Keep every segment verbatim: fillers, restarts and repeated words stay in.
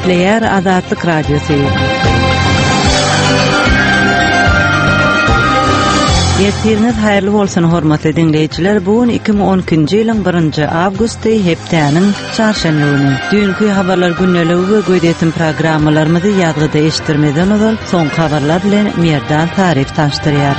Gepleýär Azatlyk Radiosy. Ertiriňiz haýyrly bolsun hormatly diňleýjiler. Bu gün iki müň on ikinji ýylyň birinji awgusty, hepdäniň çarşenbe güni. Düýnki habarlar gündeligi we gözýetim programmalarymyzy ýazgyda eşitdirmeden ozal soňky habarlar bilen Merdan Taryf tanyşdyrýar.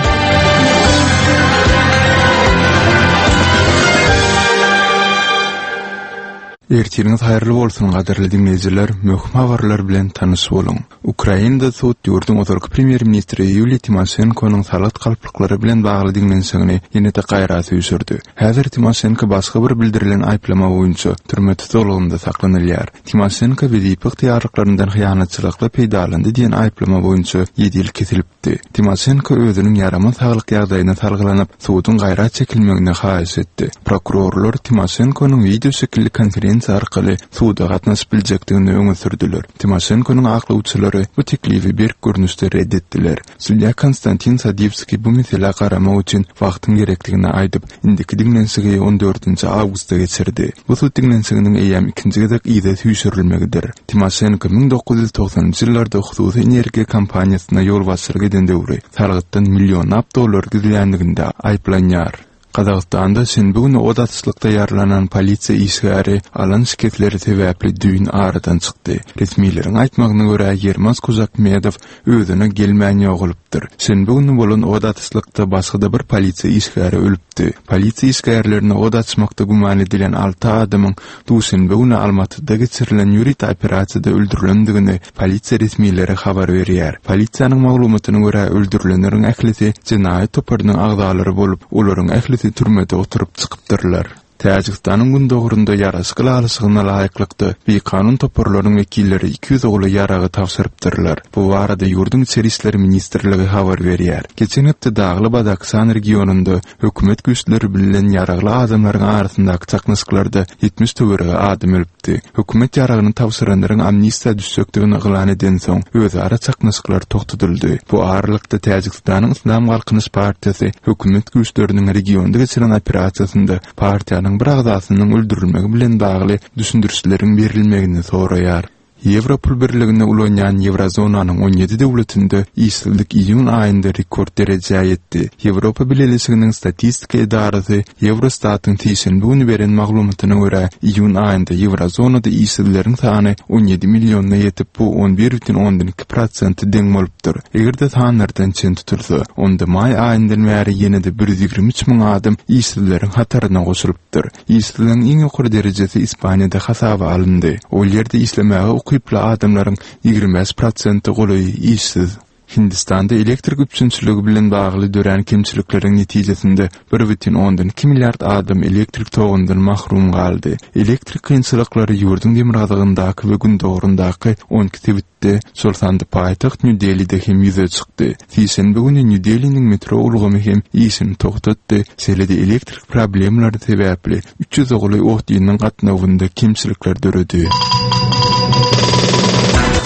Ertiriňiz haýyrly bolsun gadyrly diňleýjiler, möhüm habarlar bilen tanyş boluň. Ukrainada sud ýurduň ozalky premýer-ministri Ýuliýa Timoşenkonyň salgyt galplyklary bilen bagly diňlenişigini ýene-de gaýra süýşürdi. Häzir Timoşenko başga bir bildirilen aýyplama boýunça türme tutuklygynda saklanylýar. Timoşenko wezipe ygtyýarlyklaryndan hyýanatçylykly peýdalandy diýen aýyplama boýunça ýedi ýyl kesilipdi. Timoşenko özüniň ýaramaz saglyk ýagdaýyna salgylanyp, suduň gaýra çekilmegini haýyş etdi. Prokurorlar Timoşenkonyň wideo şekilli konferensiýa arkaly suda gatnaşyp biljekdigini öňe sürdüler. Timoşenkonyň aklawçylary bu teklibi berk görnüşde red etdiler. Sudýa Konstantin Sadiwskiý bu meselä garamak üçin wagtyň gerekdigini aýdyp, indiki diňlenişigi on dördünji awgustda geçirdi. Bu sud diňlenişiginiň eýýäm ikinji gezek yza süýşürilmegidir. Timoşenko müň dokuz ýüz togsanynjy ýyllarda hususy energiýa kompaniýasyna ýolbaşçylyk eden döwri salgytdan millionlap dollar gizlänliginde aýyplanýar. Gazagystanda şenbe güni od atyşlykda ýaralanan polisiýa işgäri alan şikesleri sebäpli düýn aradan çykdy. Resmileriň aýtmagyna görä, Ýermaz Kujakmedow özüne gelmän ýogalypdyr. Şenbe güni bolan od atyşlykda başga-da bir polisiýa işgäri ölüpdi. Polisiýa işgärlerine od açmakda güman edilen alty adamyň duşenbe güni Almatyda geçirilen ýörite operasiýada öldürilendigini polisiýa resmileri habar berýär. Polisiýanyň maglumatyna görä, öldürilenleriň ählisi jenaýat toparynyň agzalary bolup, olaryň ählisi türmede oturyp çykypdyrlar. Täjigistanyň gündogarynda ýaraşyk ylalaşygyna laýyklykda bikanun toparlaryň wekilleri iki ýüz ogly ýaragy tabşyrypdyrlar. Bu barada ýurduň Içeri işler ministrligi habar berýär. Geçen hepde Dagly Badaksan regionynda hökümet güýçleri bilen ýaragly adamlaryň arasyndaky çaknyşyklarda ýetmiş töweregi adam ölüpdi. Hökümet ýaragyny tabşyranlaryň amnistiýa düşjekdigini yglan edensoň, özara çaknyşyklar togtadyldy. Bu aralykda Täjigistanyň Yslam Galkynyş partiýasy hökümet güýçleriniň regionda geçiren operasiýasynda partiýanyň bir agzasynyň öldürilmegi bilen bagly düşündirişleriň berilmegini soraýar. Ýewro pul birligini ulanýan Ýewrozonanyň on ýedi döwletinde işsizlik iýun aýynda rekord derejä ýetdi. Ýewropa Bileleşiginiň statistika edarasy Ýewrostatyň sişenbe güni beren maglumatyna görä, iýun aýynda Ýewrozonada işsizleriň sany on ýedi milliona ýetip, bu on bir bütin ondan iki prosente deň bolupdyr. Eger-de sanlardan çen tutulsa, onda maý aýyndan bäri ýene-de bir ýüz ýigrimi üç müň adam işsizleriň hataryna goşulypdyr. Işsizligiň iň ýokary derejesi Ispaniýada hasaba alyndy. Ol ýerde işlemäge ukyply adamlaryň ýigrimi bäş prosente golaýy işsiz. Hindistanda elektrik üpjünçiligi bilen bagly dörän kemçilikleriň netijesinde bir bütin ondan iki milliard adam elektrik togundan mahrum galdy. Elektrik kynçylyklary ýurduň demirgazygyndaky we gündogaryndaky on iki sebitde, şol sanda paýtagt Nýu-Delide hem ýüze çykdy. Sişenbe güni Nýu-Deliniň metro ulgamy hem işini togtatdy, şeýle-de elektrik problemalary sebäpli üç ýüze golaý otlynyň gatnawynda kemçilikler döredi.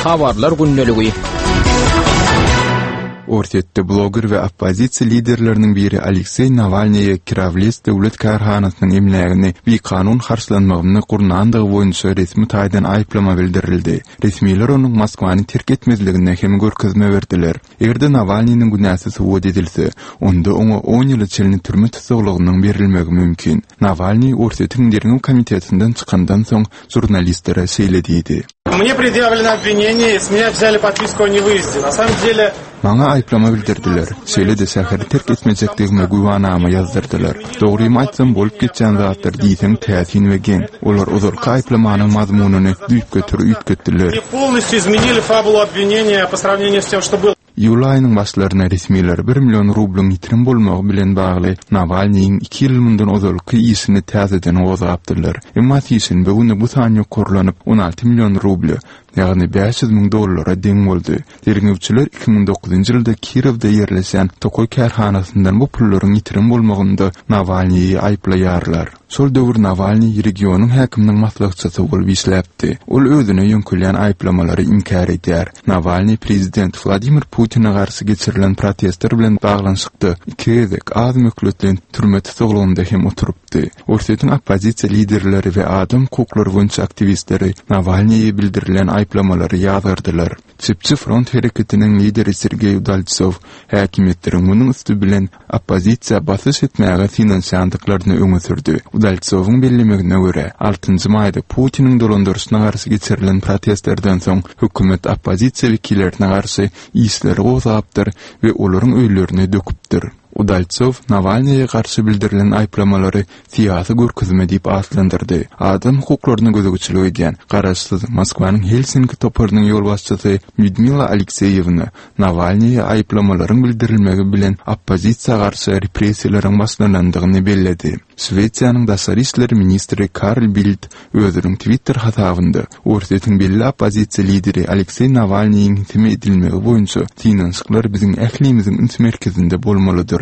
Habarlar gündeligi. Orsýetde bloger we oppozisiýa liderleriniň biri Alekseý Nawalnyýa Kirawles döwlet kärhanasynyň emlägini bikanun harçlanmagyny gurnandygy boýunça resmi taýdan aýyplama bildirildi. Resmiler onuň Moskwany terk etmezligine hem görkezme berdiler. Eger-de Nawalnynyň günäsi subut edilse, onda oňa on ýyla çenli türme tussaglygynyň berilmegi mümkin. Nawalnyý Orsýetiň derňew komitetinden çykandan soň žurnalistlere şeýle diýdi. Мне предъявлено обвинение, с меня взяли подписку о невыезде. На самом деле... Maňa aýyplama bildirdiler. Şeýle-de şäheri terk etmejekdigime güwanama ýazdyrdylar. Dogrymy aýtsam, bolup geçýän zatlar diýseň täsin we geň. Olar ozalky aýyplamanyň mazmunyny düýpgöter üýtgetdiler. Они полностью изменили фабулу обвинения по сравнению с тем, что было. Iýul aýynyň başlaryna resmiler bir million rublyň ýitirim bolmagy bilen bagly Nawalnyýyň iki ýyl mundan ozalky işini täzeden gozgapdyrlar. Emma sişenbe güni bu san ýokarlanyp on alty million rubly, ýagny bäş ýüz müň dollara deň boldy. Derňewçiler iki müň dokuzynjy ýylda Kirowda ýerleşen tokaý kärhanasyndan bu pullaryň ýitirim bolmagynda Nawalnyýy aýyplaýarlar. Şol döwür Nawalnyý regionyň häkiminiň maslahatçysy bolup işläpdi. Ol özüne ýöňkülýän aýyplamalary inkär edýär. Nawalnyý prezident Wladimir Putine garşy geçirilen protestler bilen baglanyşykda iki gezek az möhletli türme tutuklygynda hem oturypdy. çykdy. Orsýetiň oppozisiýa liderleri we adam hukuklary boýunça aktiwistleri Nawalnyýa bildirilen aýyplamalary ýazgardylar. Çepçi front hereketiniň lideri Sergeý Udaltsow häkimiýetleriň munuň üsti bilen oppozisiýa basyş etmäge synanyşýandyklaryny öňe sürdi. Udaltsowyň bellemegine görä, altynjy maýda Putiniň dolandyryşyna garşy geçirilen protestlerden soň hökümet oppozisiýa wekillerine garşy işleri gozgapdyr we olaryň öýlerini döküpdir. Udaltsow Nawalnyýa garşy bildirilen aýyplamalary syýasy görkezme diýip atlandyrdy. Adam hukuklaryna gözegçilik edýän garaşsyz Moskwanyň Helsinki toparynyň ýolbaşçysy Lýudmila Alekseýewna Nawalnyýa aýyplamalaryň bildirilmegi bilen oppozisiýa garşy repressiýalaryň başlanandygyny belledi. Şwesiýanyň daşary işler ministri Karl Bildt özüniň Twitter hasabynda Orsýetiň belli oppozisiýa lideri Alekseý Nawalnyýyň seme edilmegi boýunça synanyşyklar biziň ählimiziň üns merkezinde bolmalydyr.